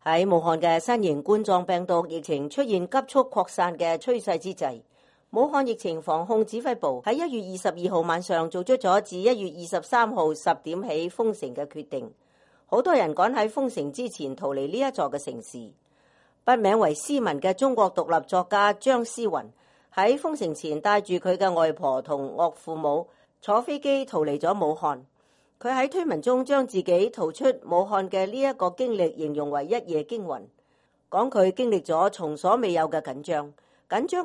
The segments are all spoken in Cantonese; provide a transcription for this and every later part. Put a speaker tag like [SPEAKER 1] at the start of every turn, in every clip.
[SPEAKER 1] 喺武漢嘅新型冠狀病毒疫情出現急速擴散嘅趨勢之際，武漢疫情防控指揮部喺1月22號晚上做出咗自1月23號10點起封城嘅決定。好多人趕喺封城之前逃離呢一座嘅城市。筆名為思文嘅中國獨立作家張思雲喺封城前帶住佢嘅外婆同岳父母坐飛機逃離咗武漢。佢喺推文中將自己逃出武漢嘅呢一個經歷形容為一夜驚魂，講佢經歷咗從所未有嘅緊張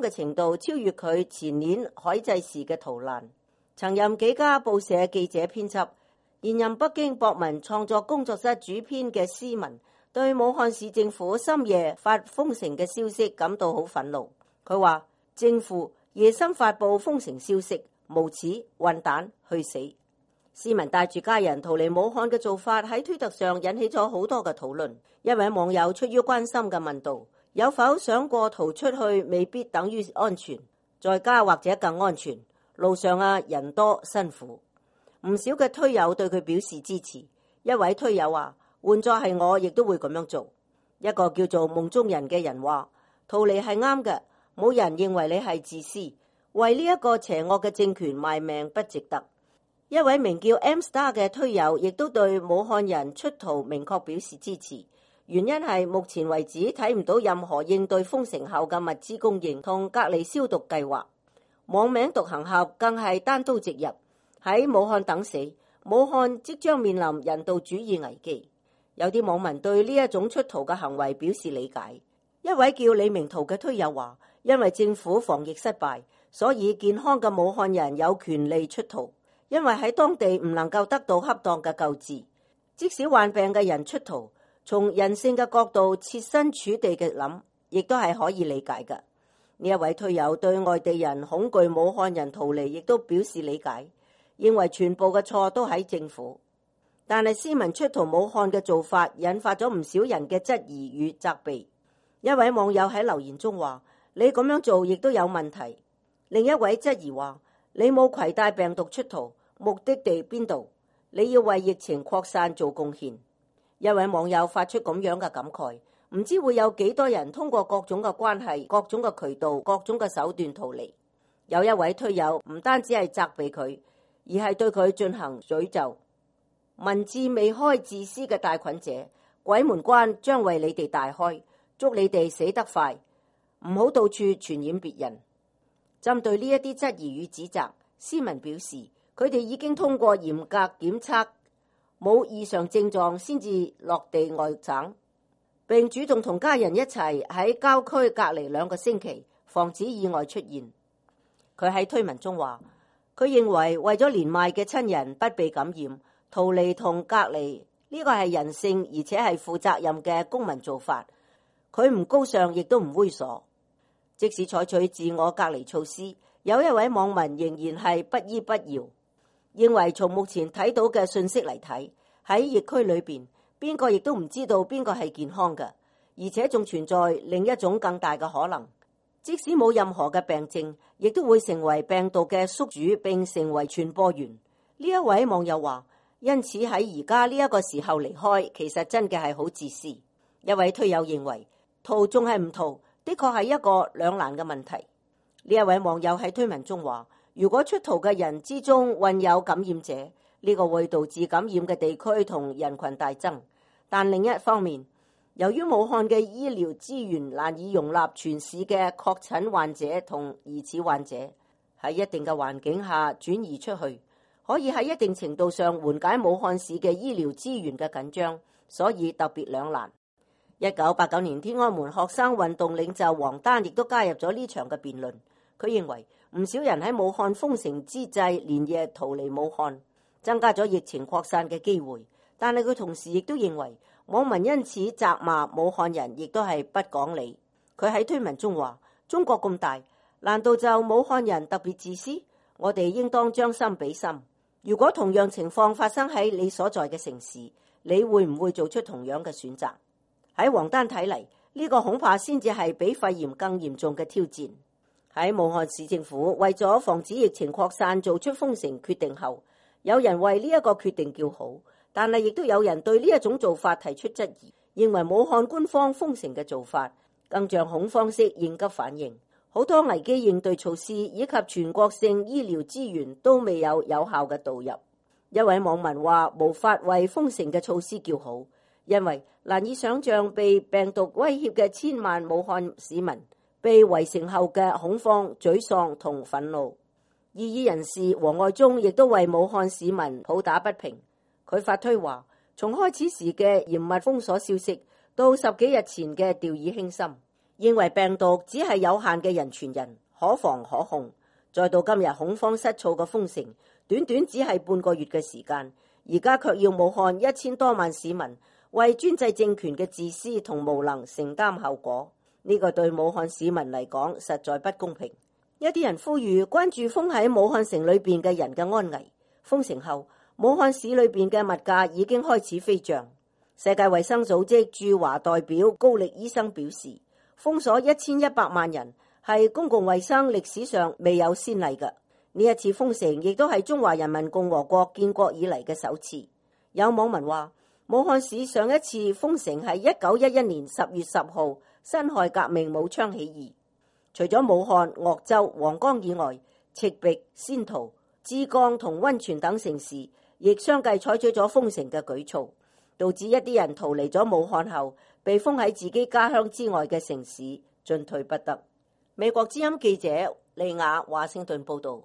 [SPEAKER 1] 嘅程度超越佢前年海祭時嘅逃難。曾任幾家報社記者編輯，現任北京博文創作工作室主編嘅思文對武漢市政府深夜發封城嘅消息感到好憤怒。佢話政府夜深發布封城消息，無恥混蛋去死。思文帶住家人逃離武漢嘅做法喺推特上引起咗好多嘅討論。一位網友出於關心嘅問道：有否想過逃出去未必等於安全，在家或者更安全？路上人多辛苦。唔少嘅推友對佢表示支持。一位推友話：換作係我亦都會咁樣做。一個叫做夢中人嘅人話：逃離係啱嘅，冇人認為你係自私，為呢一個邪惡嘅政權賣命不值得。一位名叫 M Star 嘅推友亦都對武漢人出逃明確表示支持，原因係目前為止睇唔到任何應對封城後嘅物資供應同隔離消毒計劃。網名獨行俠更係單刀直入，喺武漢等死，武漢即將面臨人道主義危機。有啲網民對呢一種出逃嘅行為表示理解。一位叫李明圖嘅推友話：因為政府防疫失敗，所以健康嘅武漢人有權利出逃。因為喺當地唔能夠得到恰當嘅救治，即使患病嘅人出逃，從人性嘅角度設身處地嘅諗，亦都係可以理解嘅。呢一位推友對外地人恐懼武漢人逃離，亦都表示理解，認為全部嘅錯都喺政府。但係思文出逃武漢嘅做法，引發咗唔少人嘅質疑與責備。一位網友喺留言中話：你咁樣做亦都有問題。另一位質疑話：你冇攜帶病毒出逃，目的地邊度？你要為疫情擴散做貢獻。一位網友發出咁樣嘅感慨：唔知會有幾多人通過各種嘅關係、各種嘅渠道、各種嘅手段逃離。有一位推友唔單止係責備佢，而係對佢進行詛咒。民智未開自私嘅帶菌者，鬼門關將為你哋大開，祝你哋死得快，唔好到處傳染別人。針對呢一啲質疑與指責，思文表示，佢哋已經通過嚴格檢測，冇異常症狀先至落地外省，並主動同家人一齊喺郊區隔離2個星期，防止意外出現。佢喺推文中話，佢認為咗年邁嘅親人不被感染，逃離同隔離呢個係人性而且係負責任嘅公民做法。佢唔高尚亦都唔猥瑣。即使採取自我隔離措施，有一位網民仍然係不依不饒，認為從目前睇到嘅信息嚟睇，喺疫區裏邊，邊個亦都唔知道邊個係健康嘅，而且仲存在另一種更大嘅可能，即使冇任何嘅病症，亦都會成為病毒嘅宿主並成為傳播源。呢一位網友話：因此喺而家呢一個時候離開，其實真嘅係好自私。一位推友認為逃仲係唔逃，的確係一個兩難嘅問題。呢一位網友喺推文中話：如果出逃嘅人之中混有感染者，呢個會導致感染嘅地區同人群大增。但另一方面，由於武漢嘅醫療資源難以容納全市嘅確診患者同疑似患者，喺一定嘅環境下轉移出去，可以喺一定程度上緩解武漢市嘅醫療資源嘅緊張，所以特別兩難。1989年天安門學生運動領袖王丹亦都加入咗呢場嘅辯論。佢認為唔少人喺武漢封城之際連夜逃離武漢，增加咗疫情擴散嘅機會。但係佢同時亦都認為網民因此責罵武漢人亦都係不講理。佢喺推文中話：中國咁大，難道就武漢人特別自私？我哋應當將心比心。如果同樣情況發生喺你所在嘅城市，你會唔會做出同樣嘅選擇？喺王丹睇嚟，呢個恐怕先至係比肺炎更嚴重嘅挑戰。喺武漢市政府為咗防止疫情擴散做出封城決定後，有人為呢一個決定叫好，但係亦都有人對呢一種做法提出質疑，認為武漢官方封城嘅做法更像恐慌式應急反應，好多危機應對措施以及全國性醫療資源都未有有效嘅導入。一位網民話無法為封城嘅措施叫好，因為難以想象被病毒威脅嘅千萬武漢市民被圍城後嘅恐慌、沮喪同憤怒。異議人士王愛忠亦都為武漢市民抱打不平，佢發推話，從開始時嘅嚴密封鎖消息到10幾日前嘅掉以輕心，認為病毒只係有限嘅人傳人，可防可控，再到今日恐慌失措嘅封城，短短只係半個月嘅時間，而家卻要武漢1000多萬市民為專制政權嘅自私同無能承擔後果，呢個對武漢市民嚟講實在不公平。一啲人呼籲關注封喺武漢城裏邊嘅人嘅安危。封城後，武漢市裏邊嘅物價已經開始飛漲。世界衛生組織駐華代表高力醫生表示，封鎖1100萬人係公共衛生歷史上未有先例嘅。呢一次封城亦都係中華人民共和國建國以嚟嘅首次。有網民話，武漢市上一次封城係1911年10月10號辛亥革命武昌起義。除咗武漢、鄂州、黃岡以外，赤壁、仙桃、枝江同溫泉等城市亦相繼採取咗封城嘅舉措，導致一啲人逃離咗武漢後，被封喺自己家鄉之外嘅城市，進退不得。美國之音記者利亞華盛頓報道。